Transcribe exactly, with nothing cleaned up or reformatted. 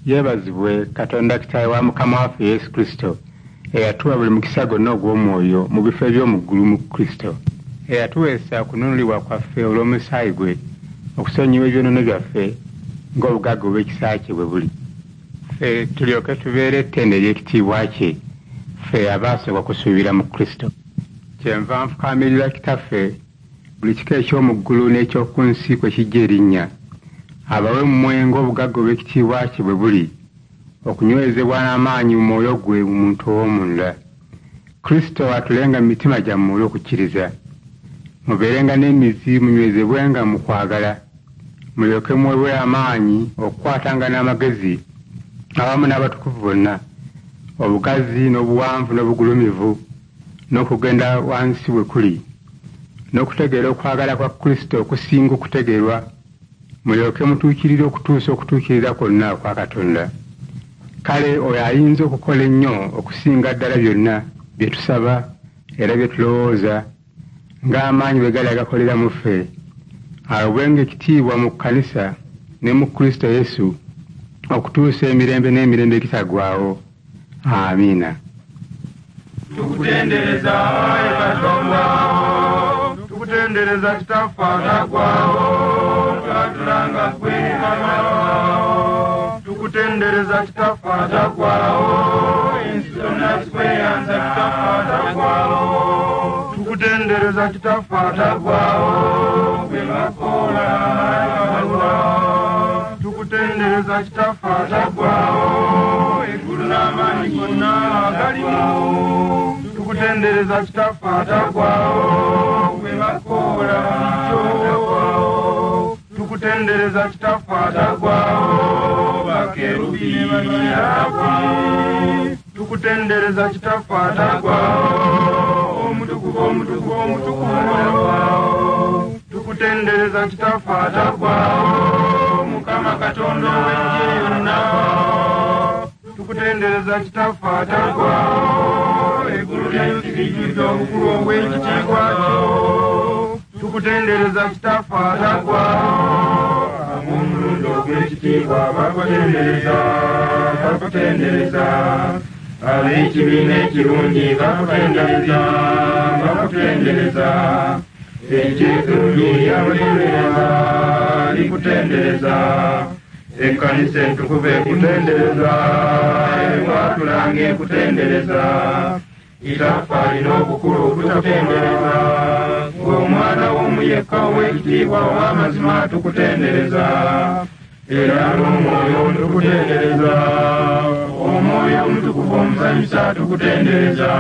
Yeebazibwe Katonda Kitaawe wa Mukama waffe Yesu Kristo, eyatuwa buli mukisa gwonna ogw'omwoyo mu bifo eby'omu ggulu mu Kristo, eyatuweesa okununulibwa kwaffe olw'omusaayi gwe, okusonyiwa ebyonoono byaffe ng'obugagga obw'ekisa kye bwe buli. Ffe tulyoke tubeere ettendo ery'ekitiibwa kye, ffe abaasooka okusuubira mu Kristo. Kyenva nfukaamirira Kitaffe, buli kika eky'omu ggulu n'eky'oku nsi kwe kijja erinnya, abawe mmwe ng'obugagga obw'ekitiibwa kye bwe buli, okunywezebwa n'amaanyi mu mwoyo gwe mu muntu ow'omunda. Kristo atulenga mu mitima gyammwe olw'okukkiriza. Mubeerenga n'emizi munywezebwenga mu kwagala, mulyoke muweebwe amaanyi okukwatanga n'amagezi awamu n'abatukuvu bonna, obugazi n'obuwanvu n'obugulumivu n'okugenda wansi bwe kuli, n'okutegeera okwagala kwa Kristo okusinga okutegeerwa, mulyoke mutuukirire okutuusa okutuukirira kwonna okwa Katonda. Kale oyo ayinza okukola ennyo okusinga ddala byonna bye tusaba era bye tulowooza, ng'amaanyi bwe gali agakolera mu ffe, aweebwenga ekitiibwa mu kkanisa ne mu Kristo Yesu okutuusa emirembe n'emirembe egitaggwaawo. Amiina. Tukutendereza ayi Katonda, tukutendereza Kitaffe ataggwaawo, twatulanga ggwe Mukama. Tukutendereza Kitaffe ataggwaawo, ensi zonna zikweyanza Kitaffe ataggwaawo. Tukutendereza Kitaffe ataggwaawo, gwe bakola Katonda. Tukutendereza Kitaffe ataggwaawo, eggulu n'amaanyi gonna agalimu. Tukutendereza Kitaffe ataggwaawo, gwe bakola ataggwaawo. Tukutendereza Kitaffe ataggwaawo, bakerubi ne baserafi. Tukutendereza Kitaffe ataggwaawo, omutukuvu omutukuvu omutukuvu ataggwaawo. Tukutendereza Kitaffe ataggwaawo, Mukama Katonda ow'eggye yonna. Tukutendereza Kitaffe ataggwaawo, eggulu n'ensi bijjudde obukulu obw'ekitiibwa kyo. Tukutendereza Kitaffe ataggwaawo, ab'omulundi ogw'ekitiibwa bakutendereza, bakutendereza. Ab'ekibiina ekirungi bakutendereza, bakutendereza. Eky'eddungi lyakutendereza, likutendereza. Ekkanisa entukuvu ekutendereza, ekwatulanga ekutendereza. Kitaffe alina obukulu tukutendereza, ng'omwana w'omu yekka ow'ekitiibwa ow'amazima tukutendereza. Era n'omwoyo tukutendereza, omwoyo omutukuvu omusanyusa tukutendereza.